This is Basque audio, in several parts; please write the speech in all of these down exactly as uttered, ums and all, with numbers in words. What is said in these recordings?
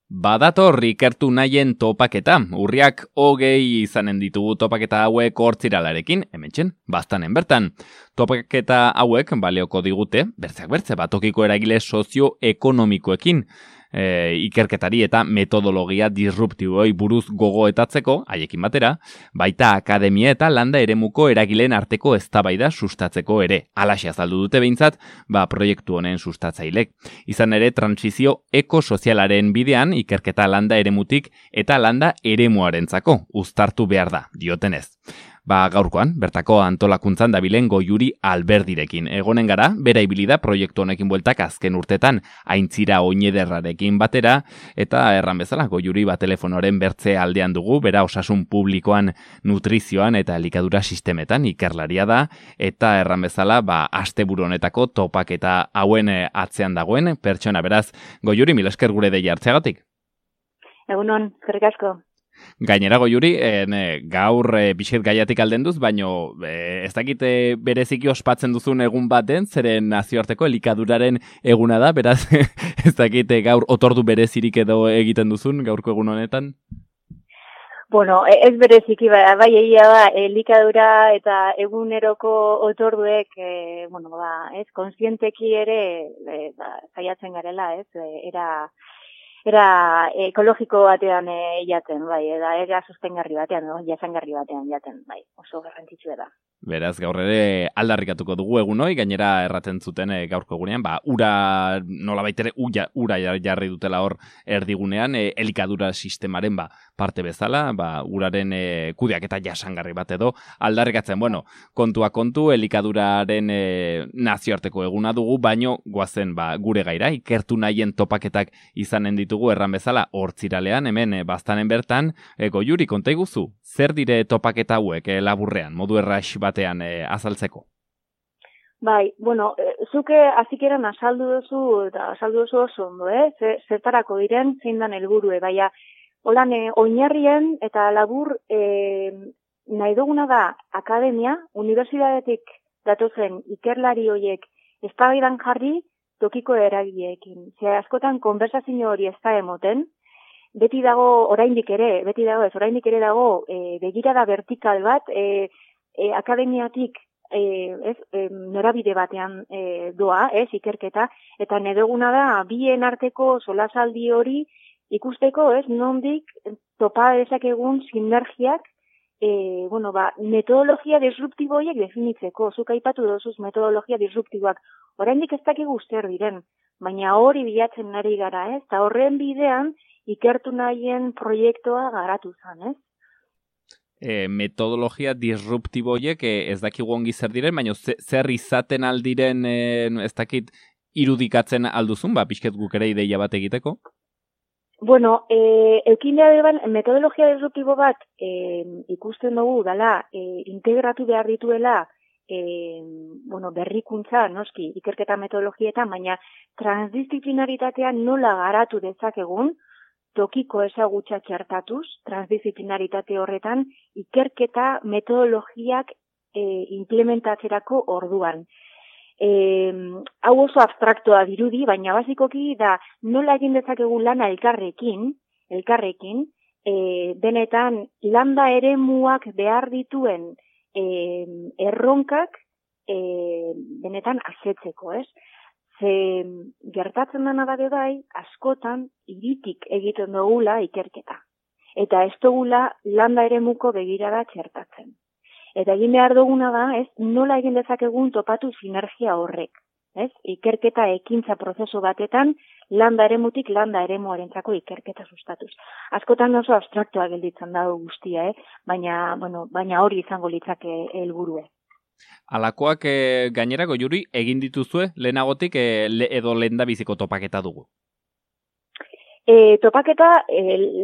Badator ikertu nahien topaketa. Urriak hogei izanen ditugu topaketa hauek hortziralarekin, hementxen, baztanen bertan. Topaketa hauek balioko digute, bertzeak bertze, batokiko eragile sozioekonomikoekin. E, ikerketari eta metodologia disruptiboi buruz gogoetatzeko, haiekin batera, baita akademia eta landa eremuko eragileen arteko eztabaida sustatzeko ere. Alaxe azaldu dute behintzat, ba proiektu honen sustatzailek. Izan ere, transizio ekosozialaren bidean ikerketa landa eremutik eta landa eremuarentzako uztartu behar da, diotenez. Ba, gaurkoan, bertako antolakuntzan dabilen Goiuri Alberdirekin. Egonen gara, bera ibilida proiektu honekin bueltak azken urtetan aintzira oinederrarekin batera, eta erran bezala, Goiuri ba telefonoren bertze aldean dugu, bera osasun publikoan, nutrizioan eta elikadura sistemetan ikerlaria da, eta erran bezala, ba, asteburu honetako topaketa hauen atzean dagoen pertsona. Beraz, Goiuri, mil esker gure deia hartzeagatik. Egunon, eskerrik asko. Gainera Goiuri, en, gaur e, bixet gaiatik alden duz, baino e, ez dakit e, bereziki ospatzen duzun egun baten, zeren nazioarteko elikaduraren eguna da, beraz ez dakit e, gaur otordu berezirik edo egiten duzun gaurko egun honetan? Bueno, ez bereziki, bai, bai egia da, elikadura eta eguneroko otorduek, e, bueno, ba, ez, konsienteki ere, e, ba, saiatzen garela, ez, e, era... Era ekologiko batean e, jaten, bai, eta era sostengarri batean, no? Jasangarri batean jaten, bai, oso garrantzitsua da. Beraz, gaur ere aldarrikatuko dugu egunoi, gainera erraten zuten e, gaurko egunean, ba, ura, nola baitere, ura, ura jarri dutela hor erdigunean, e, elikadura sistemaren ba, parte bezala, ba, uraren e, kudeak eta jasangarri bat edo, aldarrikatzen, bueno, kontua kontu, elikaduraren e, nazioarteko eguna dugu, baino goazen ba, gure gaira, ikertu nahien topaketak izanen ditugu erran bezala, hortziralean, hemen e, baztanen bertan, e, Goiuri, konta iguzu, zer dire topaketa hauek e, laburrean, modu erraix batean e, azaltzeko? Bai, bueno, e, zuke azikeran azaldu duzu, eta azaldu duzu oso ondo, eh? Zertarako diren, zein dan helburue, baina, holan, e, oinarrien eta labur e, nahi duguna da akademia, unibertsitatetik datozen ikerlari horiek eztabaidan jarri tokiko eragileekin. Ze askotan konversazio hori ez da emoten, beti dago oraindik ere, beti dago ez, oraindik ere dago e, begirada vertikal bat, e, e, akademiatik e, ez, e, norabide batean e, doa, ez, ikerketa, eta nedoguna da bien arteko solasaldi hori ikusteko, ez, nondik topa dezakegun sinergiak, e, bueno, ba, metodologia disruptiboiek definitzeko, zuk aipatu dozuz metodologia disruptiboak, oraindik ez dakigu zer diren, baina hori bilatzen ari gara, ez, eta horren bidean ikertu nahien proiektua garatu zen, ez? E, metodologia disruptiboiek e, ez dakigu ongi zer diren, baina zer izaten aldiren e, ez dakit irudikatzen alduzun, ba, pixket guk ere ideia bat egiteko? Bueno, e, eukin behar metodologia disruptibo bat e, ikusten dugu dala e, integratu behar dituela e, bueno, berrikuntza, noski, ikerketa metodologietan, baina transdisciplinaritatean nola garatu dezakegun, tokiko ezagutza txertatuz, transdisciplinaritate horretan, ikerketa metodologiak e, implementatzerako orduan. E, hau oso abstraktoa dirudi, baina basikoki da nola egin dezakegu lana elkarrekin, elkarrekin, e, benetan landa eremuak behar dituen e, erronkak e, benetan asetzeko, ez? Ze gertatzen dena da bai, askotan hiritik egiten dugula ikerketa. Eta ez dugula landa eremuko begirada txertatzen. Eta egin behar duguna da, ez, nola egin dezakegun topatu sinergia horrek. Ez? Ikerketa ekintza prozesu batetan, landa eremutik landa eremuarentzako ikerketa sustatuz. Askotan oso abstraktoa gelditzen dago guztia, eh? baina, bueno, baina hori izango litzake helburua. Alakoak e, gainera Goiuri egin dituzue lehenagotik e, le, edo lehendabiziko topaketa dugu? E, topaketa e,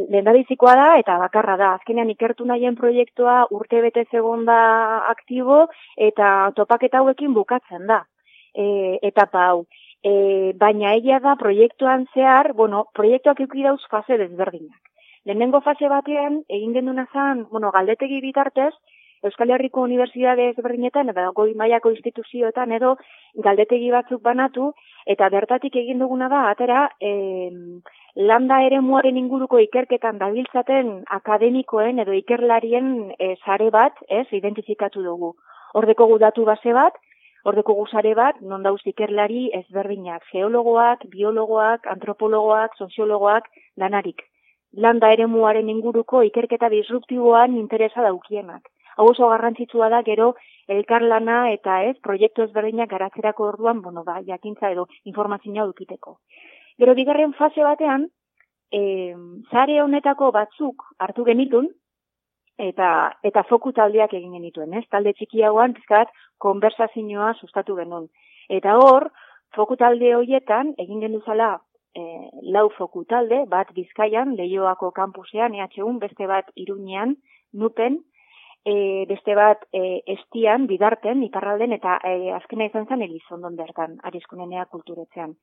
lehendabizikoa da eta bakarra da. Azkenean ikertu nahien proiektua urte bete egon da aktibo eta topaketa hauekin bukatzen da. E, etapa hau. E, baina egia da proiektuan zehar, bueno, proiektuak eduki dauz fase desberdinak. Lehenengo fase batean egin genduna zen, bueno, galdetegi bitartez, Euskal Herriko Unibertsitate ezberdinetan eta goi mailako instituzioetan edo galdetegi batzuk banatu eta bertatik egin duguna da atera e, landa eremuaren inguruko ikerketan dabiltzaten akademikoen edo ikerlarien e, sare bat, ez, identifikatu dugu. Hor dekogu datu base bat, hor dekogu sare bat, non dauz ikerlari ezberdinak, geologoak, biologoak, antropologoak, soziologoak, danarik. Landa eremuaren inguruko ikerketa disruptiboan interesa daukienak. Hau oso garrantzitsua da gero elkarlana eta ez, proiektu ezberdinak garatzerako orduan, bueno, ba, jakintza edo informazioa dukiteko. Gero bigarren fase batean, e, sare honetako batzuk hartu genitun, eta eta foku taldeak egin genituen, ez? Talde txiki hauan, pizkat, konversazioa sustatu genuen. Eta hor, foku talde horietan, egin genuzala e, lau foku talde, bat Bizkaian, Leioako kampusean, E H U, beste bat Iruñean, Nupen, e, beste bat e, Estian, Bidarten, Iparralden, eta e, azkena izan zen Elizondon bertan, Arizkunenea kulturetzean.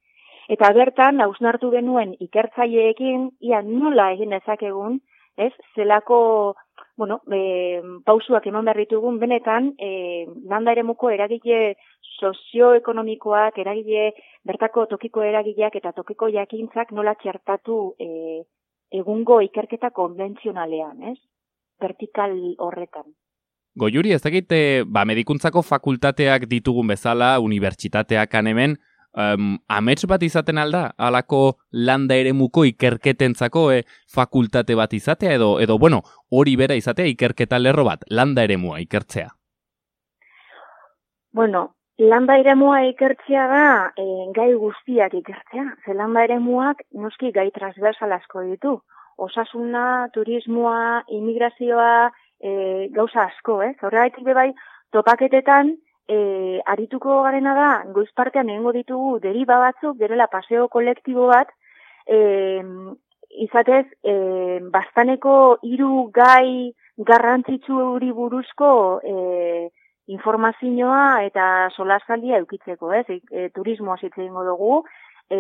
Eta bertan, hausnartu genuen ikertzaileekin, ia nola egin dezakegun, ez, zelako, bueno, e, pausuak eman behar ditugun, benetan, e, landa eremuko eragile sozioekonomikoak, eragile, bertako tokiko eragileak eta tokiko jakintzak nola txertatu e, egungo ikerketa konbentzionalean, ez, vertikal horretan. Goiuri, ez dakit, ba, medikuntzako fakultateak ditugun bezala, unibertsitateak hemen, Um, amets bat izaten alda, alako landa eremuko ikerketentzako e, fakultate bat izatea, edo, edo bueno, hori bera izatea ikerketa lerro bat, landa eremua ikertzea? Bueno, landa eremua ikertzea da e, gai guztiak ikertzea. Ze landa eremuak noski gai transversal asko ditu. Osasuna, turismoa, immigrazioa, e, gauza asko, ez? Eh? Horregaitik bebai, topaketetan, E, arituko garena da, goiz partean egingo ditugu deriba batzuk, gerela paseo kolektibo bat, e, izatez, e, bastaneko hiru gai garrantzitsuri buruzko e, informazioa eta solasaldia eukitzeko, ez? E, turismoa zitze egingo dugu, e,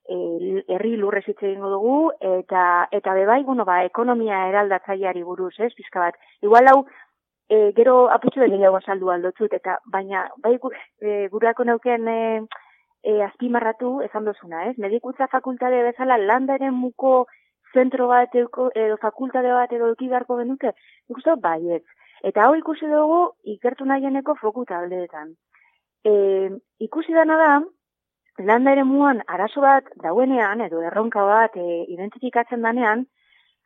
e, herri lurrez zitze egingo dugu, eta, eta bebai, bueno, ba, ekonomia eraldatzaileari buruz, ez? Pizka bat. Igual hau, E, gero aputxu da gehiago saldu aldotzut, eta baina bai e, gurako neuken e, e, azpimarratu esan dozuna, ez? Medikuntza fakultate bezala landa eremuko zentro bat edo, edo fakultate bat edo eukidarko genuke, ikusten baiet. Eta hau ikusi dugu ikertu nahieneko foku taldeetan. E, ikusi dana da, landa eremuan arazo bat dauenean, edo erronka bat e, identifikatzen danean,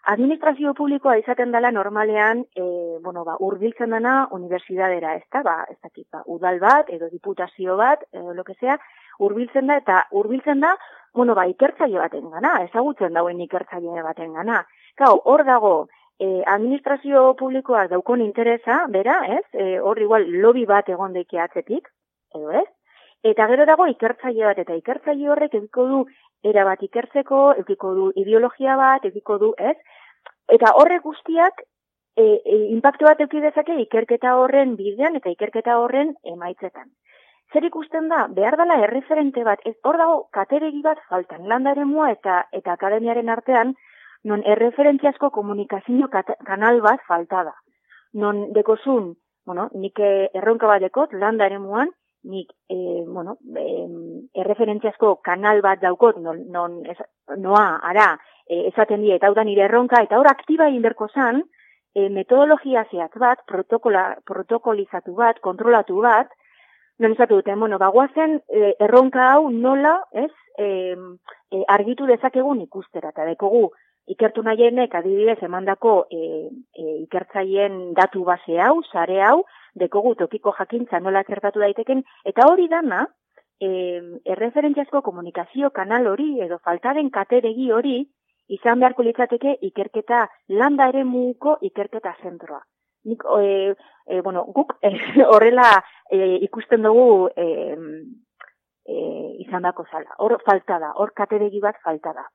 administrazio publikoa izaten dela normalean, e, bueno, ba, urbiltzen dena unibertsidadera, ez da, ba, ez dakit, ba, udal bat, edo diputazio bat, edo lo que sea, urbiltzen da, eta urbiltzen da, bueno, ba, ikertzaile baten gana, ezagutzen dauen ikertzaile baten gana. Gau, hor dago, e, administrazio publikoak daukon interesa, bera, ez, e, hor igual lobby bat egon deike atzetik, edo ez, eta gero dago ikertzaile bat, eta ikertzaile horrek ediko du erabat ikertzeko, ediko du ideologia bat, ediko du, ez, eta horrek guztiak e, e, impacto bat eduki dezake ikerketa horren bidean eta ikerketa horren emaitzetan. Zer ikusten da, behar dela erreferente bat, ez hor dago kateregi bat faltan, landa eremua eta, eta akademiaren artean, non erreferentziazko komunikazio kanal bat falta da. Non dekozun, bueno, nik erronka bat dekot, landa eremuan, nik, e, bueno, e, erreferentziazko kanal bat daukot, non, non ez, noa, ara, e, esaten die, eta hau da nire erronka, eta hor aktiba inberko zan, e, metodologia zehatz bat, protokolizatu bat, kontrolatu bat, non esatu duten, bueno, bagoazen e, erronka hau nola, ez, e, e, argitu dezakegun ikustera, eta dekogu, ikertu nahienek adibidez emandako e, e, ikertzaien datu base hau, sare hau, dekogu tokiko jakintza nola txertatu daiteken, eta hori dana, e, erreferentziazko komunikazio kanal hori, edo faltaren kateregi hori, izan beharko litzateke ikerketa landa eremuko ikerketa zentroa. Nik, e, e, bueno, guk e, horrela e, ikusten dugu e, e, izan dako zala. Hor falta da, hor kateregi bat falta da.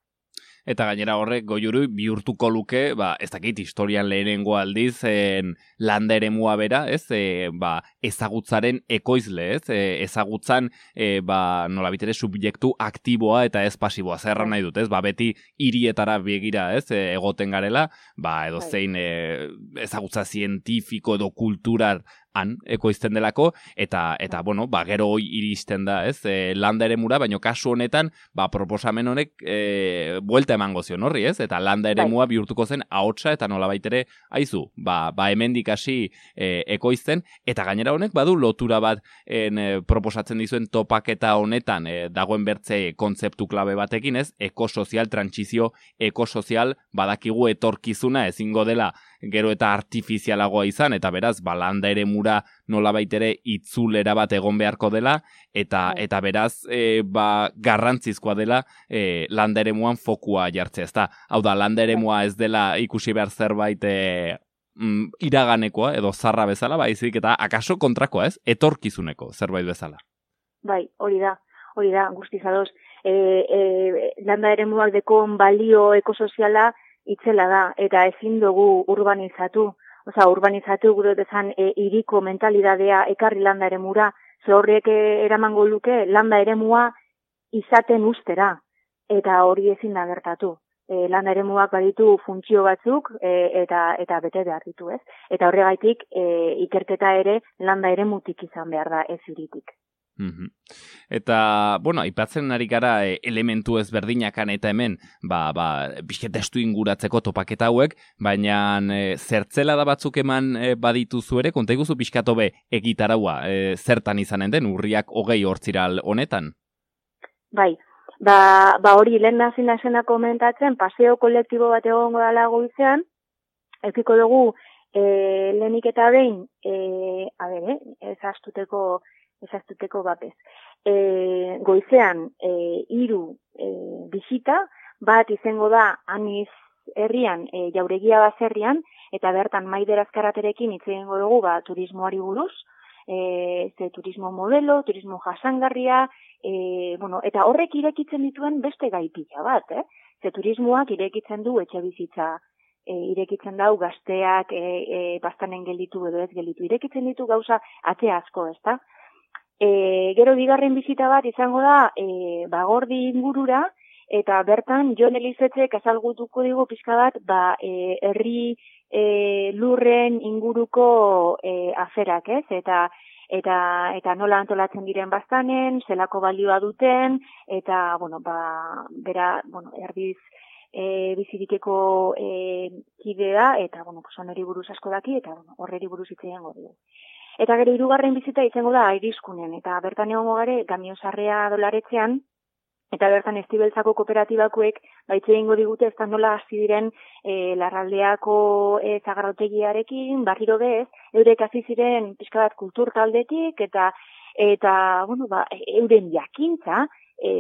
Eta gainera horrek goiuru bihurtuko luke, ba, ez dakit historian lehenengo aldiz, en, landa eremua bera, ez, e, ba, ezagutzaren ekoizle, ez, e, ezagutzan, e, ba, nolabitere subjektu aktiboa eta ez pasiboa, zerra nahi dut, ez, ba, beti hirietara begira, ez, e, egoten garela, ba, edo zein e, ezagutza zientifiko edo kultural han ekoizten delako, eta, eta bueno, ba, gero hoi iristen da, ez, e, landa eremura, baina kasu honetan, ba, proposamen honek e, buelta emango zion horri, ez, eta landa eremua bihurtuko zen ahotsa, eta nolabait ere, aizu, ba, ba hemendik hasi e, ekoizten, eta gainera honek badu lotura bat en, e, proposatzen dizuen topaketa honetan, e, dagoen bertze kontzeptu klabe batekin, ez, ekosozial, trantsizio ekosozial, badakigu etorkizuna ezingo dela gero eta artifizialagoa izan, eta beraz, ba, landa eremura nolabait ere itzulera bat egon beharko dela, eta eta beraz, e, ba, garrantzizkoa dela e, landa eremuan fokua jartzea, ezta? Hau da, landa eremua ez dela ikusi behar zerbait e, mm, iraganekoa, edo zarra bezala, baizik, eta akaso kontrakoa, ez? Etorkizuneko zerbait bezala. Bai, hori da, hori da, guztiz ados. E, e, landa eremuak dekon balio ekosoziala itzela da, eta ezin dugu urbanizatu. Osa, urbanizatu gure dezan e, iriko mentalidadea ekarri landa eremura, ze horrek eramango luke landa eremua izaten ustera, eta hori ezin da gertatu. E, landa eremuak baditu funtzio batzuk e, eta eta bete behar ditu, ez? Eta horregaitik e, ikerketa ere landa eremutik izan behar da, ez iritik. Mm-hmm. Eta, bueno, aipatzen ari gara e, elementu ezberdinak eta hemen, ba, ba, bizke testu inguratzeko topaketa hauek, baina e, zertzela da batzuk eman e, badituzu ere, konta iguzu pixkatu be egitaraua, e, zertan izanen den, urriak hogei hortziral honetan? Bai, ba, ba hori lehen nazin nazena komentatzen, paseo kolektibo bat egongo dala goizean, ekiko dugu e, lehenik eta behin, e, a ber, eh, ez astuteko ezaztuteko bapez. E, goizean, e, iru e, bisita, bat izango da aniz herrian, e, jauregia baserrian, eta bertan Maider Azkaraterekin hitz egingo dugu ba, turismoari buruz, e, ze turismo modelo, turismo jasangarria, e, bueno, eta horrek irekitzen dituen beste gaipila bat, eh? Ze turismoak irekitzen du etxe bizitza, e, irekitzen dau gazteak e, e, bastanen gelditu edo ez gelditu, irekitzen ditu gauza ate asko, ezta? E, gero bigarren bizita bat izango da e, bagordi ingurura, eta bertan Jon Elizetzek azalgutuko digu pixka bat ba, e, herri e, lurren inguruko e, aferak, ez? Eta, eta, eta nola antolatzen diren bastanen, zelako balioa duten, eta, bueno, ba, bera, bueno, erdiz e, bizirikeko e, kidea, eta, bueno, pues, oneri buruz asko daki, eta, bueno, horreri buruz itzean dugu. Eta gero hirugarren bizita izango da Airizkunen, eta bertan egongo gare Gamiozarrea dolaretzean, eta bertan Estibeltzako kooperatibakoek baitze egingo digute ez da nola hasi diren e, larraldeako e, zagarrotegiarekin, barriro bez, eurek hasi ziren pixka bat kultur taldetik, eta, eta bueno, ba, euren jakintza, e,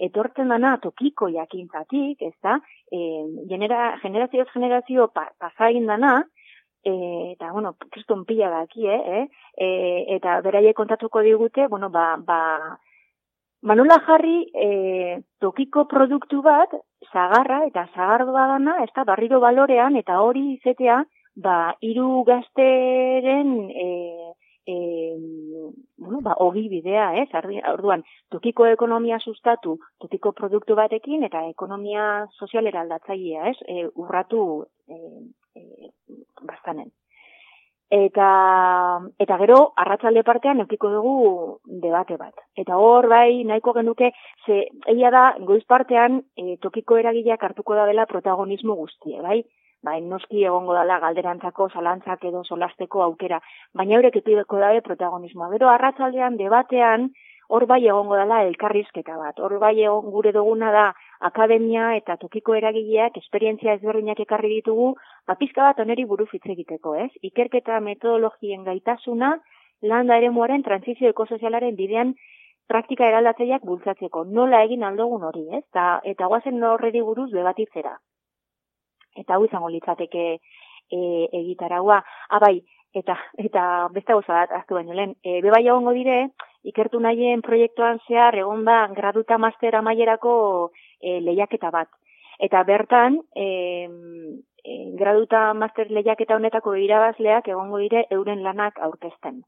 etortzen dana tokiko jakintzatik, ez da, e, genera, generazioz generazio pa, pasain dana, E, eta, bueno, kriston pila daki, eh? E, eta beraiek kontatuko digute, bueno, ba, ba, Manola jarri e, tokiko produktu bat, zagarra eta zagardoa dana, ez da, barriro balorean, eta hori izetea, ba, hiru gazteren, e, e, bueno, ba, ogi bidea, ez? Orduan, tokiko ekonomia sustatu, tokiko produktu batekin, eta ekonomia sozialera aldatzailea, ez? E, urratu, e, e, bastanen. Eta, eta gero, arratsalde partean eukiko dugu debate bat. Eta hor, bai, nahiko genuke, ze, egia da, goiz partean, e, tokiko eragileak hartuko da dela protagonismo guztie, bai? Bai, noski egongo dela galderantzako, zalantzak edo solasteko aukera, baina eurek epideko dabe protagonismoa. Gero, arratsaldean debatean, hor bai egongo dela elkarrizketa bat. Hor bai egon gure duguna da akademia eta tokiko eragileak esperientzia ezberdinak ekarri ditugu, ba pizka bat oneri buruz hitz egiteko, ez? Ikerketa metodologien gaitasuna landa eremuaren trantsizio ekosozialaren bidean praktika eraldatzaileak bultzatzeko. Nola egin aldogun hori, ez? Ta, eta goazen horreri buruz debatitzera. Eta hau izango litzateke e, egitaraua. Ah, bai, eta, eta beste gauza bat, aztu baino lehen, e, bebai egongo dire, ikertu nahien proiektuan zehar egon da graduta master amaierako e, lehiaketa bat. Eta bertan, e, e, graduta master lehiaketa honetako irabazleak egongo dire euren lanak aurkezten.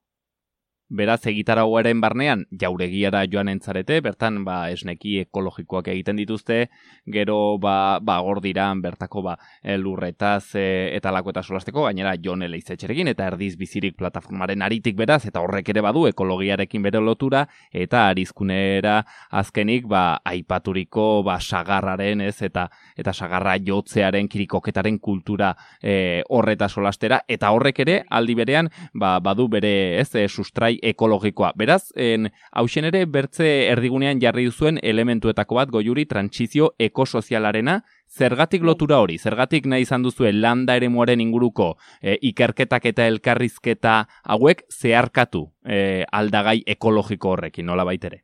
Beraz, egitarauaren barnean, jauregiara joan entzarete, bertan, ba, esneki ekologikoak egiten dituzte, gero, ba, ba gor diran, bertako, ba, lurretaz e, eta lako eta solasteko, gainera, Jon Eleizetxerekin, eta Erdiz Bizirik plataformaren aritik beraz, eta horrek ere badu ekologiarekin bere lotura, eta arizkunera azkenik, ba, aipaturiko, ba, sagarraren, ez, eta, eta sagarra jotzearen, kirikoketaren kultura e, horreta solastera, eta horrek ere, aldi berean, ba, badu bere, ez, e, sustrai ekologikoa. Beraz, en, hausen ere, bertze erdigunean jarri duzuen elementuetako bat goiuri trantsizio ekosozialarena, zergatik lotura hori, zergatik nahi izan duzuen landa eremuaren inguruko e, ikerketak eta elkarrizketa hauek zeharkatu e, aldagai ekologiko horrekin, nola baitere?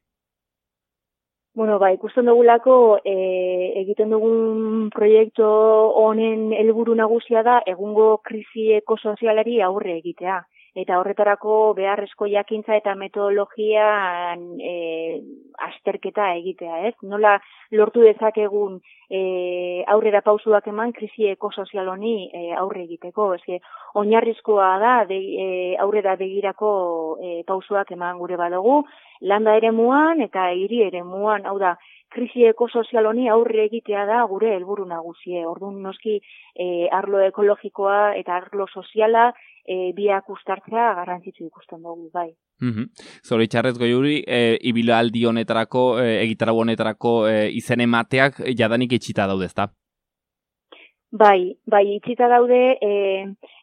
Bueno, ba, ikusten dugulako e, egiten dugun proiektu honen helburu nagusia da egungo krisi ekosozialari aurre egitea. Eta horretarako beharrezko jakintza eta metodologian e, azterketa egitea, ez? Nola lortu dezakegun e, aurrera pausuak eman krisi ekosozial honi e, aurre egiteko, eske oinarrizkoa da de, e, aurrera begirako e, pausuak eman gure badugu, landa eremuan eta hiri eremuan, hau da, krisi ekosozial honi aurre egitea da gure helburu nagusie. Orduan noski e, arlo ekologikoa eta arlo soziala e, biak ustartzea garrantzitsu ikusten dugu, bai. Mm-hmm. Zoritxarrez goiuri, e, ibilaldi honetarako, e, egitarau honetarako e, izen emateak jadanik itxita daude, ezta? Bai, bai, itxita daude, e,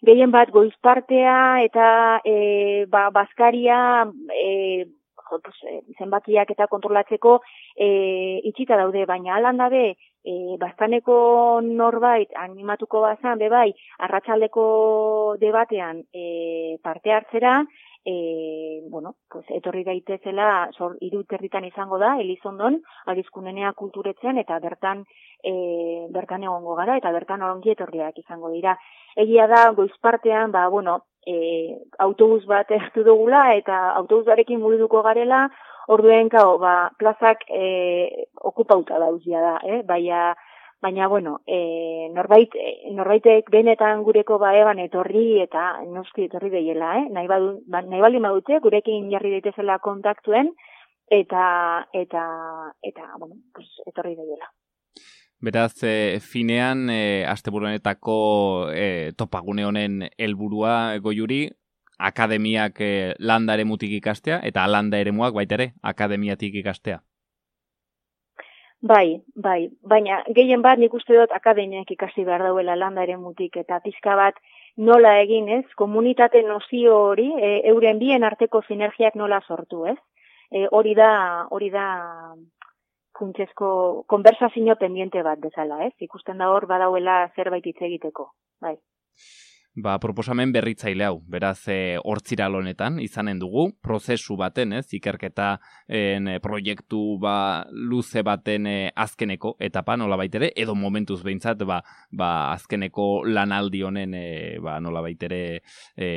gehien bat goizpartea eta e, ba, bazkaria, e, Pues, zenbakiak eta kontrolatzeko e, itxita daude, baina alan dabe e, bastaneko norbait animatuko bazan, be bai, arratsaldeko debatean e, parte hartzera, e, bueno, pues, etorri daitezela hiru territan izango da, Elizondon, Arizkunenea kulturetzen, eta bertan e, bertan egongo gara, eta bertan ongi etorriak izango dira. Egia da, goizpartean, ba, bueno, E, autobus bat hartu dugula eta autobusarekin mugiduko garela, orduen kao, ba, plazak e, okupauta dauzia da, eh? Baina, baina, bueno, e, norbait, norbaitek benetan gureko ba eban etorri eta noski etorri deiela, eh? Nahi, badu, ba, nahi baldin badute, gurekin jarri daitezela kontaktuen eta, eta, eta, bueno, pues, etorri deiela. Beraz, e, finean, e, asteburuanetako e, topagune honen helburua goiuri, akademiak e, landa eremutik ikastea, eta landa eremuak baita ere, akademiatik ikastea. Bai, bai, baina gehien bat nik uste dut akademiak ikasi behar dauela landa eremutik, eta pizka bat nola egin, ez? Komunitate nozio hori, e, euren bien arteko sinergiak nola sortu, ez? E, hori da, hori da... funtsezko konversazio pendiente bat bezala, ez? Ikusten da hor badauela zerbait hitz egiteko, bai. Ba, proposamen berritzaile hau, beraz, e, hortziral honetan, izanen dugu, prozesu baten, ez, ikerketa en, proiektu ba, luze baten e, azkeneko etapa, nola baitere, edo momentuz behintzat, ba, ba, azkeneko lanaldi honen, e, ba, nola baitere, e,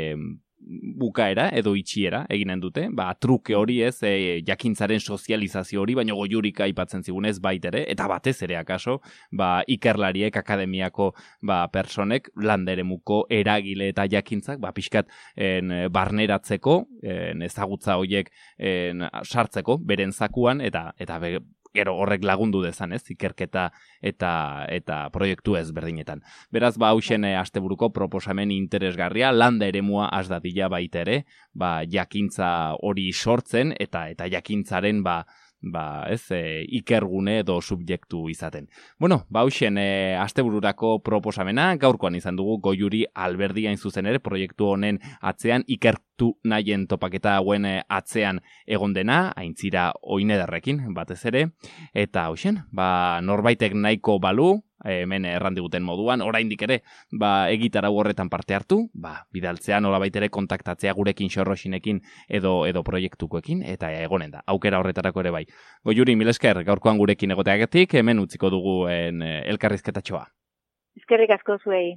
bukaera edo itxiera eginen dute, ba, truke hori ez, e, jakintzaren sozializazio hori, baina goiurika aipatzen zigunez baitere, eta batez ere akaso, ba, ikerlariek, akademiako ba, personek, landeremuko eragile eta jakintzak, ba, pixkat en, barneratzeko, en, ezagutza horiek en, sartzeko, beren zakuan, eta, eta be, gero horrek lagundu dezan, ez, ikerketa eta eta proiektu ezberdinetan. Beraz, ba, hausen asteburuko proposamen interesgarria, landa eremua has dadila baita ere, ba, jakintza hori sortzen, eta eta jakintzaren, ba, ba, ez, e, ikergune edo subjektu izaten. Bueno, ba, hausen e, astebururako proposamena, gaurkoan izan dugu Goiuri Alberdi hain zuzen ere, proiektu honen atzean, ikertu nahien topaketa hauen atzean egon dena, aintzira oinederrekin, batez ere, eta hausen, ba, norbaitek nahiko balu, hemen errandiguten moduan, oraindik ere, ba, egitarau horretan parte hartu, ba, bidaltzea nolabait ere kontaktatzea gurekin xorroxinekin edo edo proiektukoekin, eta egonen da, aukera horretarako ere bai. Goiuri, mil esker, gaurkoan gurekin egoteagatik, hemen utziko dugu en, elkarrizketatxoa. Eskerrik asko zuei.